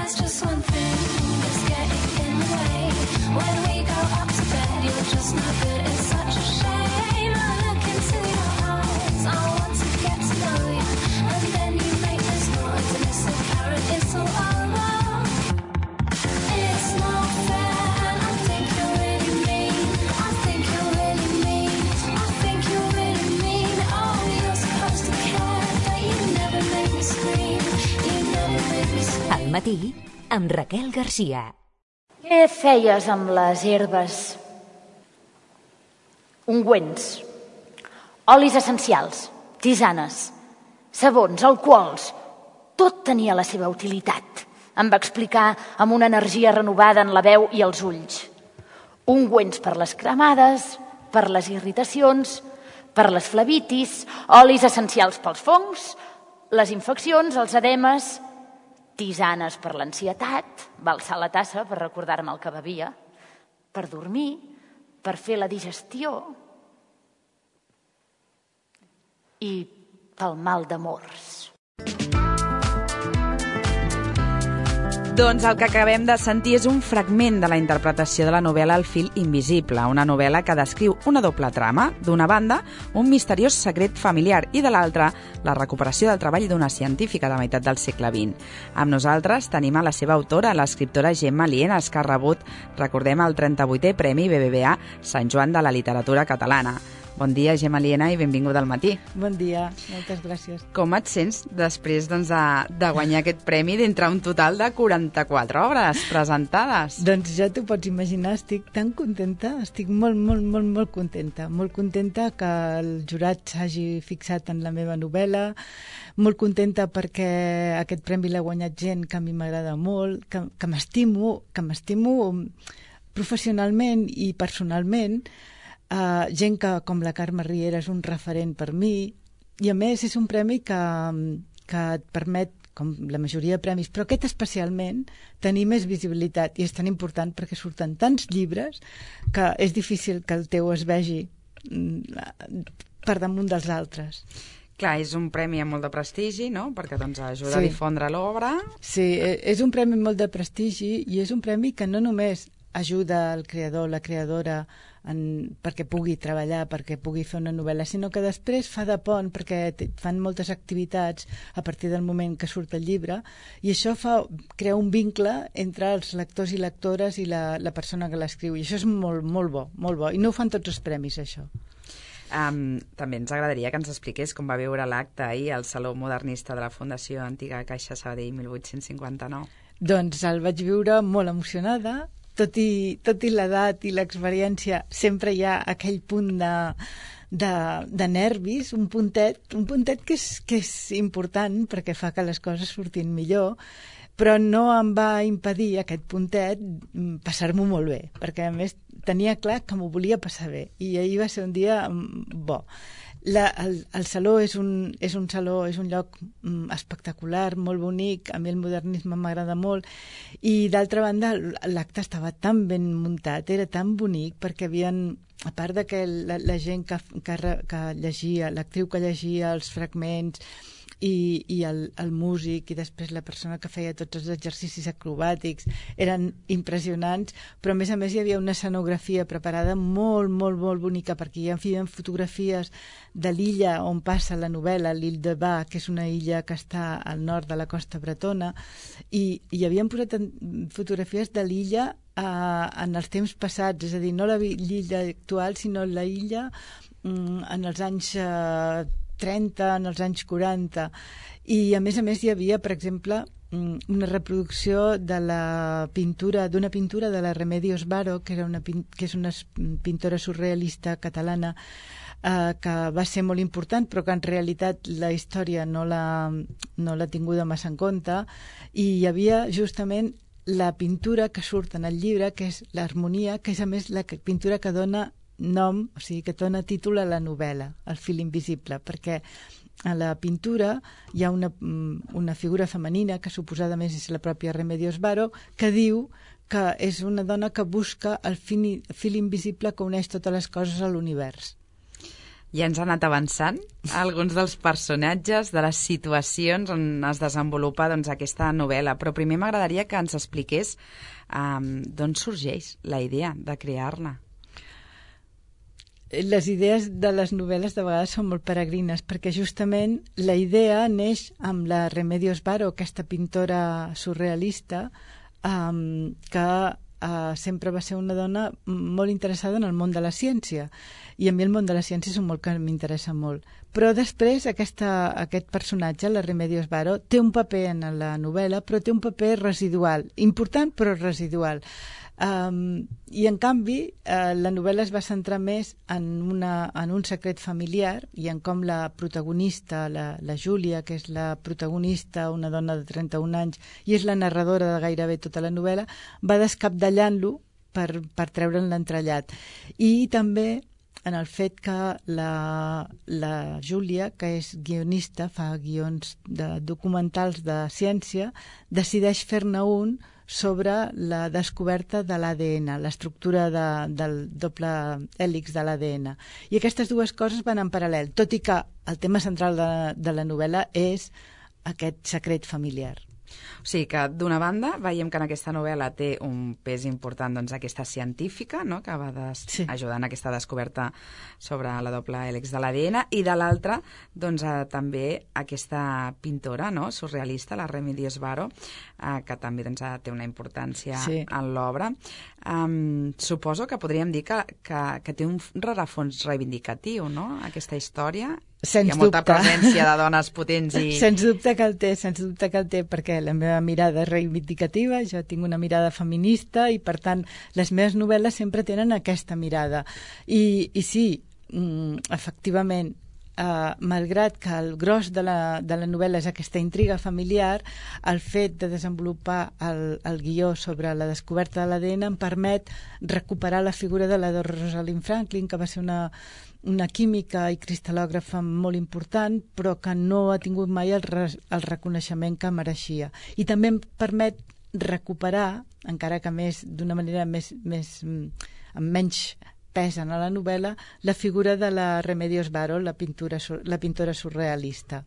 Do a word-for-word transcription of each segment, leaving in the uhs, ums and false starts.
There's just one thing that's getting in the way. When we go up to bed, you're just no good. It's such a shame. I look into your eyes. I want to get to know you. And then you make this noise, and it's the carrot, it's all over. It's not fair, and I think you're really mean. I think you're really mean. I think you're really mean. Oh, you're supposed to care, but you never make me scream. You never make me scream. Al matí, amb Raquel Garcia. Què feies amb les herbes? Ungüents, olis essencials, tisanes, sabons, alcohols, tot tenia la seva utilitat. Em va explicar amb una energia renovada en la veu i els ulls. Ungüents per les cremades, per les irritacions, per les flebitis, olis essencials pels fongs, les infeccions, els edemes, tisanes per l'ansietat, va alçar la tassa per recordar-me el que bevia, per dormir, per fer la digestió i pel mal d'amors. Doncs el que acabem de sentir és un fragment de la interpretació de la novel·la El fil invisible, una novel·la que descriu una doble trama. D'una banda, un misteriós secret familiar i de l'altra, la recuperació del treball d'una científica de meitat del segle vint. Amb nosaltres tenim a la seva autora, l'escriptora Gemma Lienas, que ha rebut, recordem, el trenta-vuitè Premi B B V A Sant Joan de la Literatura Catalana. Bon dia, Gemma Lienas, i benvinguda al matí. Bon dia, moltes gràcies. Com et sents després doncs, de, de guanyar aquest premi d'entre un total de quaranta-quatre obres presentades? Doncs ja t'ho pots imaginar, estic tan contenta, estic molt, molt, molt, molt contenta. Molt contenta que el jurat s'hagi fixat en la meva novel·la, molt contenta perquè aquest premi l'ha guanyat gent que a mi m'agrada molt, que, que m'estimo, que m'estimo professionalment i personalment, Uh, gent que, com la Carme Riera, és un referent per mi, i a més és un premi que, que et permet, com la majoria de premis, però aquest especialment, tenir més visibilitat, i és tan important perquè surten tants llibres que és difícil que el teu es vegi per damunt dels altres. Clar, és un premi amb molt de prestigi, no?, perquè doncs, ajuda sí. a difondre l'obra. Sí, és un premi amb molt de prestigi i és un premi que no només ajuda el creador, la creadora, en, perquè pugui treballar, perquè pugui fer una novel·la, sinó que després fa de pont perquè fan moltes activitats a partir del moment que surt el llibre, i això fa, crea un vincle entre els lectors i lectores i la, la persona que l'escriu, i això és molt, molt bo, molt bo, i no ho fan tots els premis, això. Um, també ens agradaria que ens expliqués com va viure l'acte ahir al Saló Modernista de la Fundació Antiga Caixa Sabadell mil vuit-cents cinquanta-nou. Doncs el vaig viure molt emocionada. Tot i, tot i l'edat i l'experiència, sempre hi ha aquell punt de, de, de nervis, un puntet, un puntet que és, que és important perquè fa que les coses surtin millor, però no em va impedir aquest puntet passar-m'ho molt bé, perquè a més tenia clar que m'ho volia passar bé, i ahir va ser un dia bo. La, el, el saló és un, és un saló, és un lloc mm, espectacular, molt bonic, a mi el modernisme m'agrada molt, i d'altra banda l'acte estava tan ben muntat, era tan bonic, perquè havien, a part de que la, la gent que, que, que llegia, l'actriu que llegia els fragments, i, i el, el músic i després la persona que feia tots els exercicis acrobàtics eren impressionants, però a més a més hi havia una escenografia preparada molt, molt, molt bonica, perquè hi havia fotografies de l'illa on passa la novel·la, l'Île de Bas, que és una illa que està al nord de la costa bretona, i, i havien posat fotografies de l'illa eh, en els temps passats, és a dir, no l'illa actual, sinó la illa mm, en els anys eh, trenta, en els anys quaranta, i a més a més hi havia, per exemple, una reproducció de la pintura, d'una pintura de la Remedios Varo, que, era una, que és una pintora surrealista catalana, eh, que va ser molt important, però que en realitat la història no l'ha no l'ha tinguda massa en compte, i hi havia justament la pintura que surt en el llibre, que és l'harmonia, que és a més la pintura que dona nom, o sigui, que dona títol a la novel·la, El fil invisible, perquè a la pintura hi ha una, una figura femenina, que suposadament és la pròpia Remedios Varo, que diu que és una dona que busca el fil, fil invisible que uneix totes les coses a l'univers. Ja ens ha anat avançant alguns dels personatges, de les situacions on es desenvolupa doncs, aquesta novel·la, però primer m'agradaria que ens expliqués um, d'on sorgeix la idea de crear-la. Les idees de les novel·les de vegades són molt peregrines, perquè justament la idea neix amb la Remedios Varo, aquesta pintora surrealista, um, que uh, sempre va ser una dona molt interessada en el món de la ciència. I a mi el món de la ciència és un món que m'interessa molt. Però després aquesta, aquest personatge, la Remedios Varo, té un paper en la novel·la, però té un paper residual, important però residual. Um, I en canvi uh, la novel·la es va centrar més en, una, en un secret familiar i en com la protagonista, la, la Júlia, que és la protagonista, una dona de trenta-un anys i és la narradora de gairebé tota la novel·la, va descapdallant-lo per, per treure'n l'entrellat. I també en el fet que la, la Júlia, que és guionista, fa guions de documentals de ciència, decideix fer-ne un sobre la descoberta de l'A D N, l'estructura de, del doble hèlix de l'A D N. I aquestes dues coses van en paral·lel, tot i que el tema central de, de la novel·la és aquest secret familiar. O sigui que, d'una banda, veiem que en aquesta novel·la té un pes important doncs, aquesta científica, no?, que va des... sí. ajudar en aquesta descoberta sobre la doble hèlix de l'A D N, i de l'altra, doncs, eh, també aquesta pintora, no?, surrealista, la Remedios Varo, eh, que també doncs, té una importància sí. en l'obra. Um, suposo que podríem dir que, que, que té un rerefons reivindicatiu, no?, aquesta història. Sens Hi ha molta dubte. presència de dones potents i... Sens dubte que el té, sens dubte que el té, perquè la meva mirada és reivindicativa, jo tinc una mirada feminista i, per tant, les meves novel·les sempre tenen aquesta mirada. I, i sí, efectivament, Uh, malgrat que el gros de la, de la novel·la és aquesta intriga familiar, el fet de desenvolupar el, el guió sobre la descoberta de l'A D N em permet recuperar la figura de la de Rosalind Franklin, que va ser una, una química i cristal·lògrafa molt important, però que no ha tingut mai el, res, el reconeixement que mereixia. I també em permet recuperar, encara que més d'una manera més, més, amb menys pesen a la novel·la, la figura de la Remedios Varo, la, pintura, la pintora surrealista.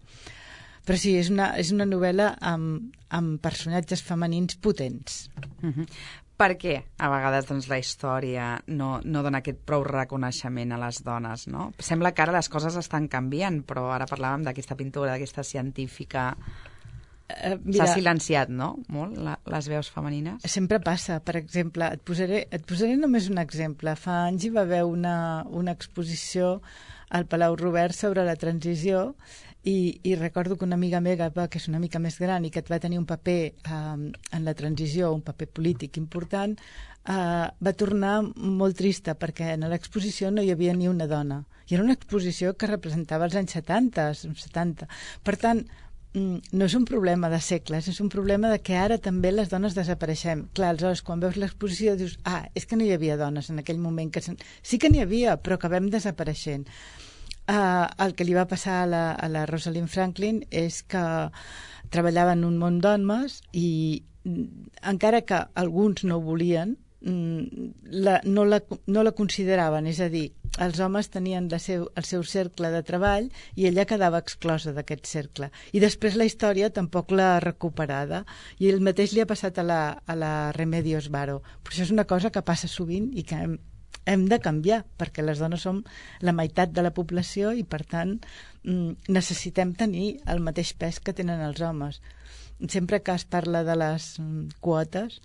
Però sí, és una, és una novel·la amb, amb personatges femenins potents. Uh-huh. Per què a vegades doncs, la història no, no dona aquest prou reconeixement a les dones, no? Sembla que ara les coses estan canviant, però ara parlàvem d'aquesta pintura, d'aquesta científica... Uh, S'ha silenciat, no?, molt, la, les veus femenines. Sempre passa. Per exemple, et posaré, et posaré només un exemple. Fa anys hi va haver una, una exposició al Palau Robert sobre la transició i, i recordo que una amiga meva, que és una mica més gran i que va tenir un paper um, en la transició, un paper polític important, uh, va tornar molt trista perquè en l'exposició no hi havia ni una dona. I era una exposició que representava els anys setanta, setanta. Per tant, no és un problema de segles, és un problema de que ara també les dones desapareixem. Clar, aleshores, quan veus l'exposició dius, ah, és que no hi havia dones en aquell moment. Que sen... Sí que n'hi havia, però que vam desapareixent. Uh, el que li va passar a la, a la Rosalind Franklin és que treballava en un món d'homes i encara que alguns no ho volien, la, no, la, no la consideraven, és a dir, els homes tenien la seu, el seu cercle de treball i ella quedava exclosa d'aquest cercle. I després la història tampoc l'ha recuperada i el mateix li ha passat a la, a la Remedios Varo. Però això és una cosa que passa sovint i que hem, hem de canviar, perquè les dones som la meitat de la població i, per tant, necessitem tenir el mateix pes que tenen els homes. Sempre que es parla de les quotes,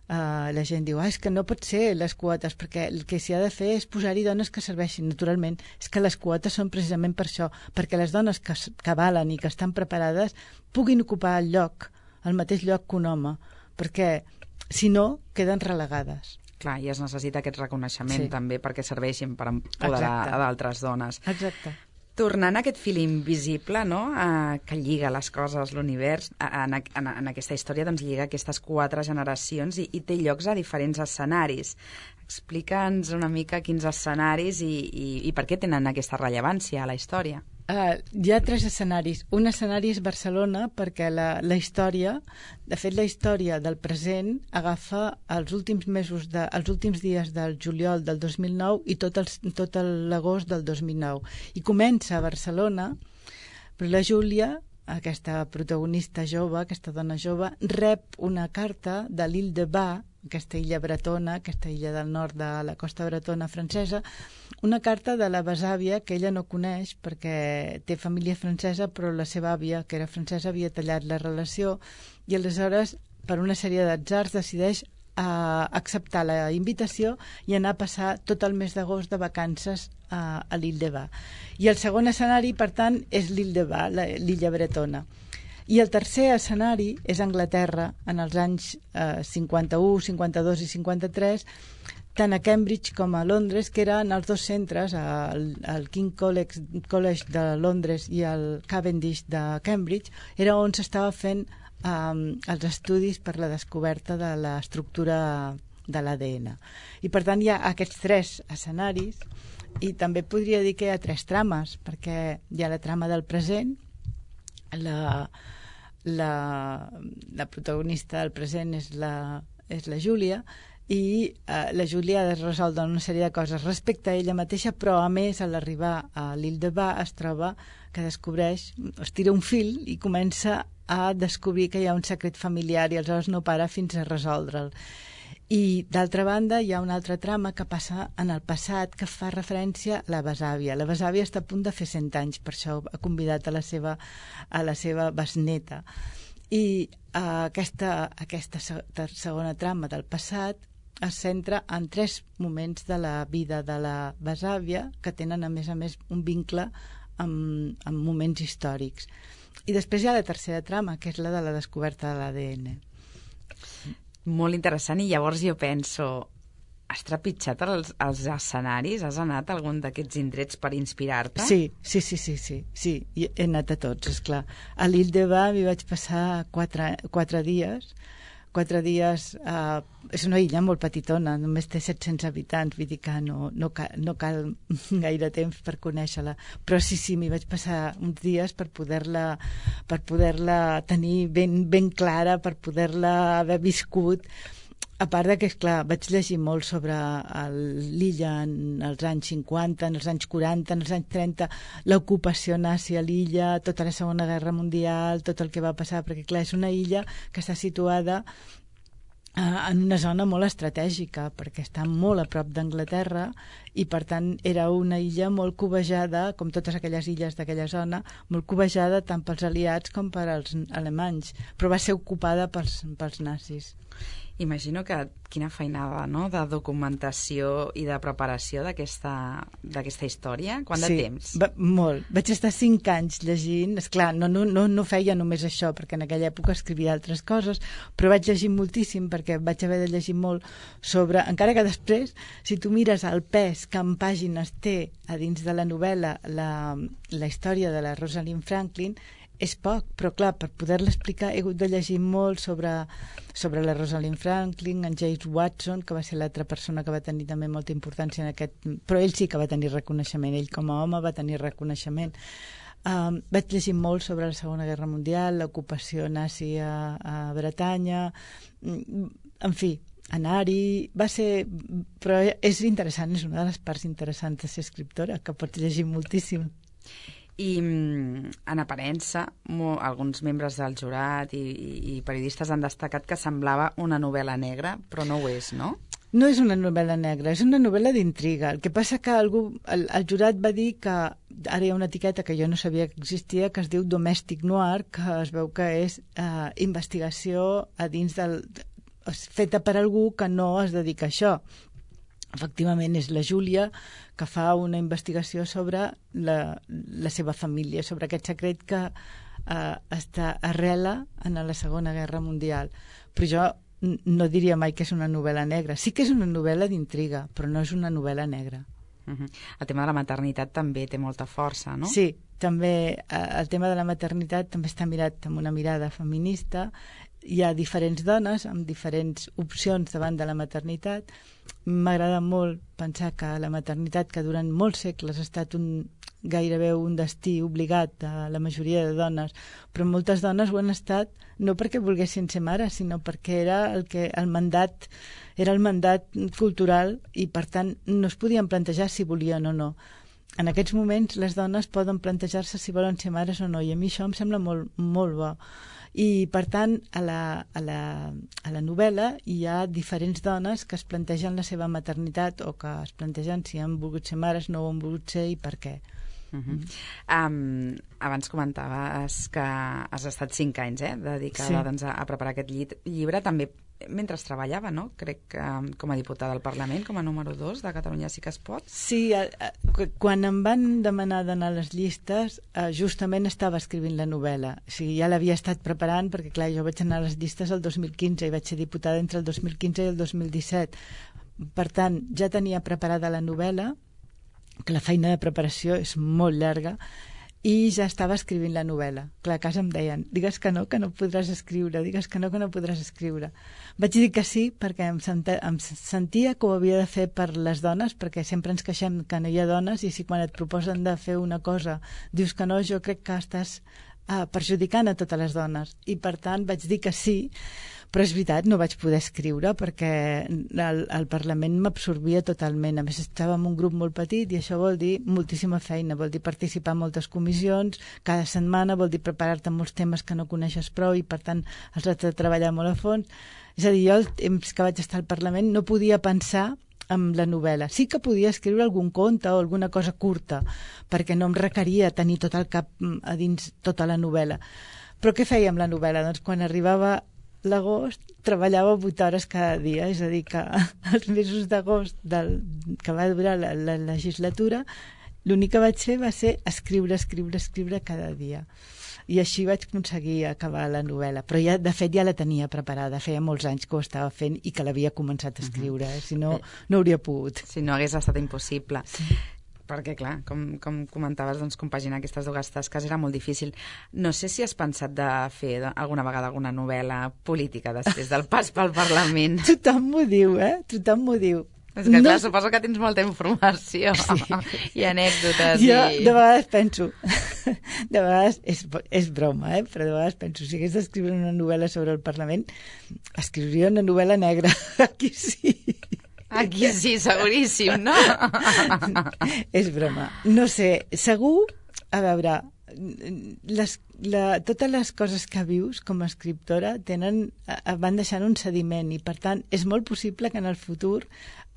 Uh, la gent diu, ah, és que no pot ser les quotes, perquè el que s'hi ha de fer és posar-hi dones que serveixin. Naturalment, és que les quotes són precisament per això, perquè les dones que, que valen i que estan preparades puguin ocupar el lloc, el mateix lloc que un home, perquè si no, queden relegades. Clar, i es necessita aquest reconeixement sí. també perquè serveixin per empoderar Exacte. a d'altres dones. Exacte. Tornant a aquest fil invisible, no?, eh, que lliga les coses, l'univers, en, en, en aquesta història doncs, lliga aquestes quatre generacions i, i té llocs a diferents escenaris. Explica'ns una mica quins escenaris i, i, i per què tenen aquesta rellevància a la història. Uh, hi ha tres escenaris. Un escenari és Barcelona, perquè la, la història, de fet la història del present agafa els últims mesos, de, els últims dies del juliol del dos mil nou i tot, el, tot l'agost del dos mil nou. I comença a Barcelona, però la Júlia, aquesta protagonista jove, aquesta dona jove, rep una carta de l'Île de Bas, aquesta illa bretona, aquesta illa del nord de la costa bretona francesa, una carta de la besàvia que ella no coneix perquè té família francesa, però la seva àvia, que era francesa, havia tallat la relació i aleshores, per una sèrie d'atzars, decideix a acceptar la invitació i anar a passar tot el mes d'agost de vacances a, a l'Île de Bas. I el segon escenari, per tant, és l'Île de Bas, l'illa bretona. I el tercer escenari és Anglaterra, en els anys eh, cinquanta-u, cinquanta-dos i cinquanta-tres, tant a Cambridge com a Londres, que eren els dos centres, el, el King College, College de Londres i el Cavendish de Cambridge, era on s'estava fent um, els estudis per la descoberta de l'estructura de l'A D N. I per tant hi ha aquests tres escenaris, i també podria dir que hi ha tres trames, perquè hi ha la trama del present, la... La, la protagonista del present és la, és la Júlia i eh, la Júlia ha de resoldre una sèrie de coses respecte a ella mateixa, però a més a l'arribar a l'Île de Bas es troba que descobreix, es tira un fil i comença a descobrir que hi ha un secret familiar i aleshores no para fins a resoldre'l. I d'altra banda hi ha una altra trama que passa en el passat que fa referència a la besàvia. La besàvia està a punt de fer cent anys, per això ha convidat a la seva, a la seva besneta. I eh, aquesta, aquesta segona trama del passat es centra en tres moments de la vida de la besàvia que tenen a més a més un vincle amb, amb moments històrics. I després hi ha la tercera trama, que és la de la descoberta de l'A D N. Molt interessant, i llavors jo penso, has trepitjat els, els escenaris? Has anat a algun d'aquests indrets per inspirar-te? Sí, sí, sí, sí, sí, sí. He anat a tots, esclar. A l'Île de Bas m'hi vaig passar quatre, quatre dies. Quatre dies... Eh, és una illa molt petitona, només té set-cents habitants, vull dir que no, no, cal, no cal gaire temps per conèixer-la. Però sí, sí, m'hi vaig passar uns dies per poder-la per poder-la tenir ben, ben clara, per poder-la haver viscut. A part de que, esclar, vaig llegir molt sobre l'illa en els anys cinquanta, en els anys quaranta, en els anys trenta, l'ocupació nazi a l'illa, tota la Segona Guerra Mundial, tot el que va passar, perquè, clar, és una illa que està situada eh, en una zona molt estratègica, perquè està molt a prop d'Anglaterra i, per tant, era una illa molt cobejada, com totes aquelles illes d'aquella zona, molt cobejada tant pels aliats com per als alemanys, però va ser ocupada pels, pels nazis. Imagino que quina feinada, no?, de documentació i de preparació d'aquesta d'aquesta història. Quant de sí, temps? Va, molt. Vaig estar cinc anys llegint. Esclar, no, no, no, no feia només això, perquè en aquella època escrivia altres coses, però vaig llegir moltíssim, perquè vaig haver de llegir molt sobre... Encara que després, si tu mires el pes que en pàgines té a dins de la novel·la la, la història de la Rosalind Franklin, és poc, però clar, per poder-la explicar he hagut de llegir molt sobre, sobre la Rosalind Franklin, en James Watson, que va ser l'altra persona que va tenir també molta importància en aquest... Però ell sí que va tenir reconeixement, ell com a home va tenir reconeixement. Um, vaig llegir molt sobre la Segona Guerra Mundial, l'ocupació nazi a, a Bretanya, en fi, anar-hi, va ser... Però és interessant, és una de les parts interessants de ser escriptora, que pots llegir moltíssim. I en aparença, alguns membres del jurat i, i periodistes han destacat que semblava una novel·la negra, però no ho és, no? No és una novel·la negra, és una novel·la d'intriga. El que passa que algú, el, el jurat va dir que ara hi ha una etiqueta que jo no sabia que existia, que es diu Domestic Noir, que es veu que és eh, investigació a dins del... feta per algú que no es dedica a això. Efectivament, és la Júlia que fa una investigació sobre la, la seva família, sobre aquest secret que eh, està arrela en la Segona Guerra Mundial. Però jo no diria mai que és una novel·la negra. Sí que és una novel·la d'intriga, però no és una novel·la negra. Uh-huh. El tema de la maternitat també té molta força, no? Sí, també eh, el tema de la maternitat també està mirat amb una mirada feminista hi ha diferents dones amb diferents opcions davant de la maternitat. M'agrada molt pensar que la maternitat, que durant molts segles ha estat un, gairebé un destí obligat de la majoria de dones, però moltes dones ho han estat no perquè volguessin ser mares, sinó perquè era el que el mandat era el mandat cultural i per tant no es podien plantejar si volien o no. En aquests moments les dones poden plantejar-se si volen ser mares o no, i a mi això em sembla molt, molt bo. I per tant a la, a, la, a la novel·la hi ha diferents dones que es plantegen la seva maternitat o que es plantegen si han volgut ser mares, no ho han volgut ser i per què. Uh -huh. um, abans comentaves que has estat cinc anys eh, dedicada sí. doncs, a, a preparar aquest llit, llibre també mentre treballava, no? Crec que com a diputada al Parlament, com a número dos de Catalunya Sí que es pot. Sí, a, a, quan em van demanar d'anar a les llistes, eh, justament estava escrivint la novel·la. O sigui, ja l'havia estat preparant, perquè clar, jo vaig anar a les llistes el dos mil quinze i vaig ser diputada entre el dos mil quinze i el dos mil disset. Per tant, ja tenia preparada la novel·la, que la feina de preparació és molt llarga, i ja estava escrivint la novel·la. Clar, a casa em deien, digues que no, que no podràs escriure, digues que no, que no podràs escriure. Vaig dir que sí, perquè em, senta, em sentia que ho havia de fer per les dones, perquè sempre ens queixem que no hi ha dones, i si quan et proposen de fer una cosa dius que no, jo crec que estàs uh, perjudicant a totes les dones. I per tant vaig dir que sí, però és veritat, no vaig poder escriure perquè el, el Parlament m'absorbia totalment. A més, estava en un grup molt petit i això vol dir moltíssima feina, vol dir participar en moltes comissions, cada setmana, vol dir preparar-te molts temes que no coneixes prou i, per tant, els has de treballar molt a fons. És a dir, jo, el temps que vaig estar al Parlament, no podia pensar en la novel·la. Sí que podia escriure algun conte o alguna cosa curta, perquè no em requeria tenir tot el cap a dins tota la novel·la. Però què feia amb la novel·la? Doncs quan arribava l'agost treballava vuit hores cada dia, és a dir que els mesos d'agost que va durar la, la legislatura l'únic que vaig fer va ser escriure, escriure, escriure cada dia, i així vaig aconseguir acabar la novel·la, però ja, de fet ja la tenia preparada, feia molts anys que ho estava fent i que l'havia començat a escriure, uh -huh. eh? Si no, no hauria pogut. Si no hagués estat impossible. Sí. Perquè, clar, com, com comentaves, doncs, compaginar aquestes dues tasques era molt difícil. No sé si has pensat de fer alguna vegada alguna novel·la política després del pas pel Parlament. Tothom m'ho diu, eh? Tothom m'ho diu. És que, clar, no... suposo que tens molta informació sí. i anècdotes. Jo i... de vegades penso, de vegades, és, és broma, eh? Però de vegades penso, si hagués d'escriure una novel·la sobre el Parlament, escriuria una novel·la negra. Aquí sí. Aquí sí, seguríssim, no? És broma. No sé, segur, a veure, les, la, totes les coses que vius com a escriptora tenen, van deixant un sediment i, per tant, és molt possible que en el futur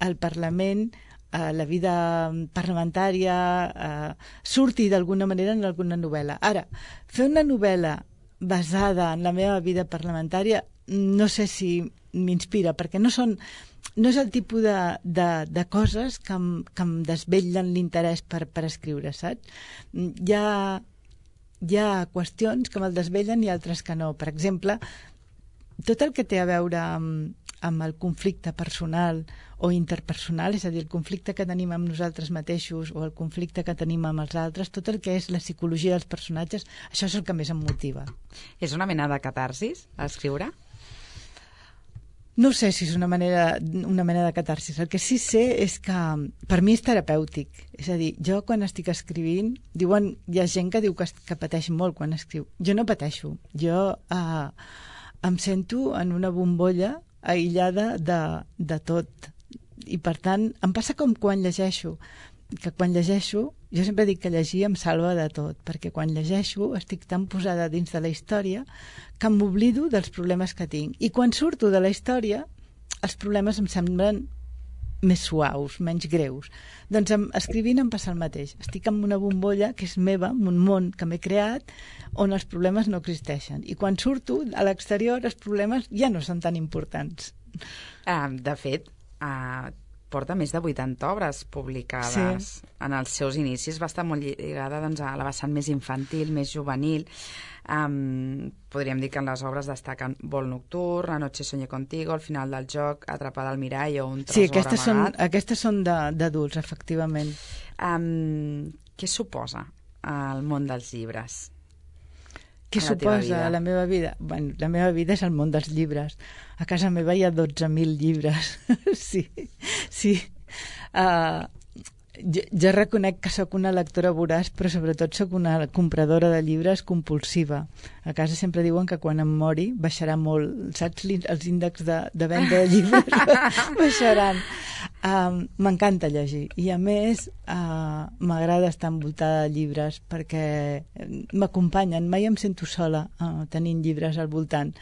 el Parlament, eh, la vida parlamentària, eh, surti d'alguna manera en alguna novel·la. Ara, fer una novel·la basada en la meva vida parlamentària no sé si m'inspira, perquè no són... no és el tipus de, de, de coses que em, que em desvetllen l'interès per, per escriure, saps? Hi ha, hi ha qüestions que me'l desvellen i altres que no. Per exemple, tot el que té a veure amb, amb el conflicte personal o interpersonal, és a dir, el conflicte que tenim amb nosaltres mateixos o el conflicte que tenim amb els altres, tot el que és la psicologia dels personatges, això és el que més em motiva. És una mena de catarsis, a escriure? No sé si és una manera, una mena de catarsis. El que sí sé és que per mi és terapèutic. És a dir, jo quan estic escrivint, diuen, hi ha gent que diu que, que pateix molt quan escriu. Jo no pateixo. Jo eh, em sento en una bombolla aïllada de, de tot. I per tant, em passa com quan llegeixo, que quan llegeixo, jo sempre dic que llegir em salva de tot, perquè quan llegeixo estic tan posada dins de la història que m'oblido dels problemes que tinc. I quan surto de la història, els problemes em semblen més suaus, menys greus. Doncs em, escrivint em passa el mateix. Estic en una bombolla que és meva, en un món que m'he creat, on els problemes no existeixen. I quan surto a l'exterior, els problemes ja no són tan importants. Uh, de fet, uh, porta més de vuitanta obres publicades. Sí. En els seus inicis va estar molt lligada doncs, a la vessant més infantil, més juvenil. Um, podríem dir que en les obres destaquen Vol nocturn, Anoche soñé contigo, El final del joc, Atrapada al mirall o Un tresor sí, aquestes amagat. Són, aquestes són d'adults, efectivament. Um, què suposa el món dels llibres? Què a la teva suposa vida? la meva vida? Bueno, la meva vida és el món dels llibres. A casa meva hi ha dotze mil llibres. sí, sí. Uh, jo, jo reconec que sóc una lectora voraç, però sobretot sóc una compradora de llibres compulsiva. A casa sempre diuen que quan em mori baixarà molt, saps, els índexs de, de venda de llibres baixaran. Um, M'encanta llegir i a més uh, m'agrada estar envoltada de llibres perquè m'acompanyen, mai em sento sola uh, tenint llibres al voltant.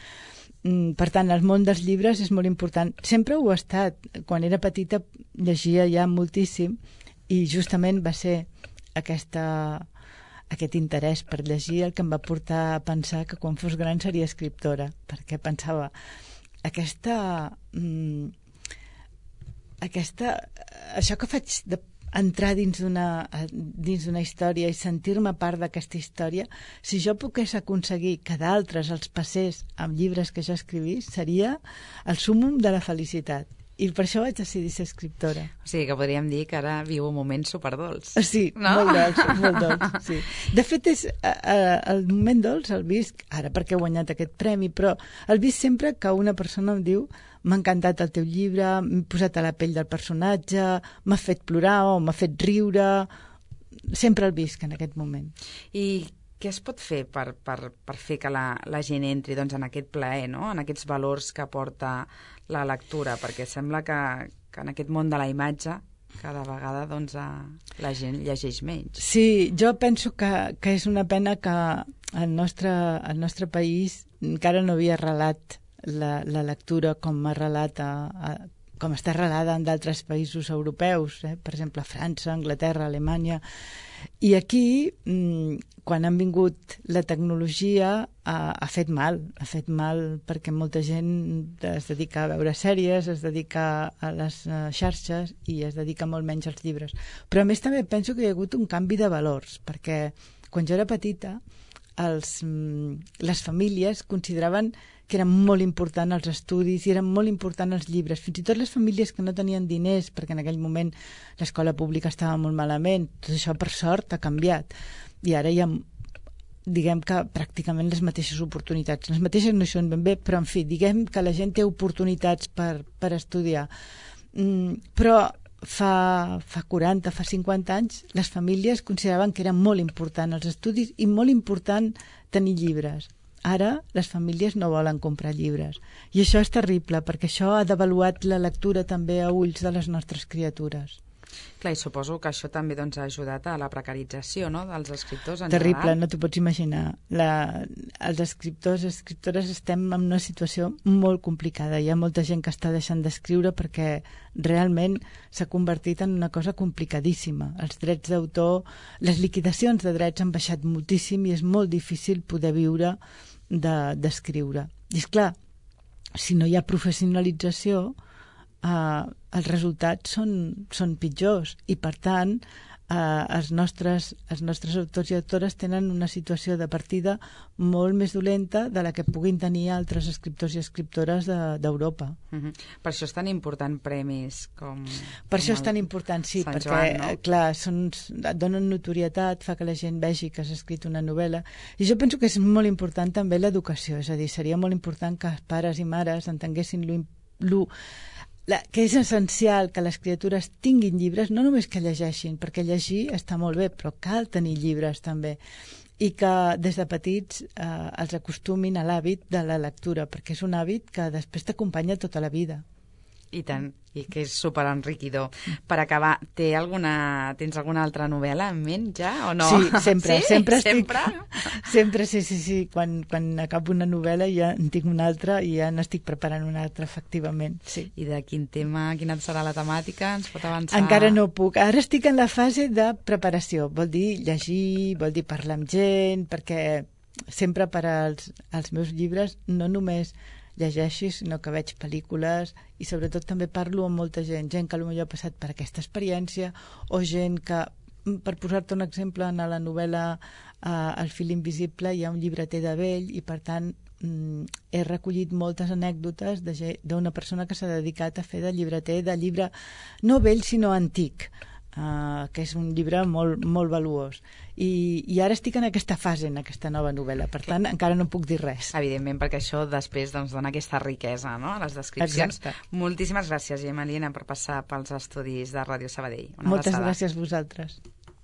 Mm, per tant, el món dels llibres és molt important. Sempre ho ha estat. Quan era petita llegia ja moltíssim i justament va ser aquesta, aquest interès per llegir el que em va portar a pensar que quan fos gran seria escriptora, perquè pensava aquesta, mm, aquesta això que faig de entrar dins d'una dins d'una història i sentir-me part d'aquesta història, si jo pogués aconseguir que d'altres els passés amb llibres que jo escrivís, seria el súmmum de la felicitat. I per això vaig decidir ser escriptora. O sigui, que podríem dir que ara viu un moment superdolç. Sí, no? molt dolç, molt dolç, sí. De fet, és, a, a, el moment dolç el visc, ara perquè he guanyat aquest premi, però el visc sempre que una persona em diu m'ha encantat el teu llibre, m'he posat a la pell del personatge, m'ha fet plorar o m'ha fet riure, sempre el visc en aquest moment. I què es pot fer per, per, per fer que la, la gent entri doncs, en aquest plaer, no? En aquests valors que porta la lectura? Perquè sembla que, que en aquest món de la imatge cada vegada doncs, la gent llegeix menys. Sí, jo penso que, que és una pena que el nostre, el nostre país encara no havia arrelat la, la lectura com ha arrelat a, a, com està arrelada en d'altres països europeus, eh? Per exemple, França, Anglaterra, Alemanya. I aquí, quan han vingut la tecnologia, ha, ha fet mal. Ha fet mal perquè molta gent es dedica a veure sèries, es dedica a les xarxes i es dedica molt menys als llibres. Però a més també penso que hi ha hagut un canvi de valors, perquè quan jo era petita, els, les famílies consideraven que eren molt important els estudis i eren molt important els llibres. Fins i tot les famílies que no tenien diners, perquè en aquell moment l'escola pública estava molt malament, tot això per sort ha canviat. I ara hi ha, diguem que pràcticament les mateixes oportunitats. Les mateixes no hi són ben bé, però en fi, diguem que la gent té oportunitats per, per estudiar. Mm, però fa, fa quaranta, fa cinquanta anys, les famílies consideraven que era molt important els estudis i molt important tenir llibres. Ara les famílies no volen comprar llibres. I això és terrible, perquè això ha devaluat la lectura també a ulls de les nostres criatures. Clar, i suposo que això també doncs, ha ajudat a la precarització, no?, dels escriptors en Terrible, general. no t'ho pots imaginar. La, els escriptors i escriptores estem en una situació molt complicada. Hi ha molta gent que està deixant d'escriure perquè realment s'ha convertit en una cosa complicadíssima. Els drets d'autor, les liquidacions de drets han baixat moltíssim i és molt difícil poder viure d'escriure. De, I esclar, si no hi ha professionalització, Uh, els resultats són, són pitjors i per tant uh, els, nostres, els nostres autors i autores tenen una situació de partida molt més dolenta de la que puguin tenir altres escriptors i escriptores d'Europa. De, uh-huh. Per això és tan important premis com... Per com això és tan important, sí, Sant perquè Joan, no? clar, són, donen notorietat, fa que la gent vegi que has escrit una novel·la i jo penso que és molt important també l'educació, és a dir, seria molt important que els pares i mares entenguessin lo, lo La, que és essencial que les criatures tinguin llibres, no només que llegeixin, perquè llegir està molt bé, però cal tenir llibres també, i que des de petits eh, els acostumin a l'hàbit de la lectura, perquè és un hàbit que després t'acompanya tota la vida. I tant, i que és superenriquidor. Per acabar, té alguna, tens alguna altra novel·la en ment ja o no? Sí, sempre, sí? sempre estic... Sempre? Sempre, sí, sí, sí. Quan, quan acabo una novel·la ja en tinc una altra i ja n'estic preparant una altra, efectivament, sí. I de quin tema, quina serà la temàtica? Ens pot avançar? Encara no puc. Ara estic en la fase de preparació. Vol dir llegir, vol dir parlar amb gent, perquè sempre per als, als meus llibres no només llegeixo, sinó que veig pel·lícules i sobretot també parlo amb molta gent, gent que potser ha passat per aquesta experiència o gent que, per posar-te un exemple, en la novel·la uh, El fil invisible hi ha un llibreter de vell i per tant mm, he recollit moltes anècdotes d'una persona que s'ha dedicat a fer de llibreter de llibre no vell sinó antic. Uh, que és un llibre molt, molt valuós. I, I ara estic en aquesta fase, en aquesta nova novel·la, per tant, encara no puc dir res. Evidentment, perquè això després doncs, dona aquesta riquesa, no?, a les descripcions. Exacte. Moltíssimes gràcies, Gemma Liena, per passar pels estudis de Ràdio Sabadell. Una Moltes abraçada. gràcies a vosaltres.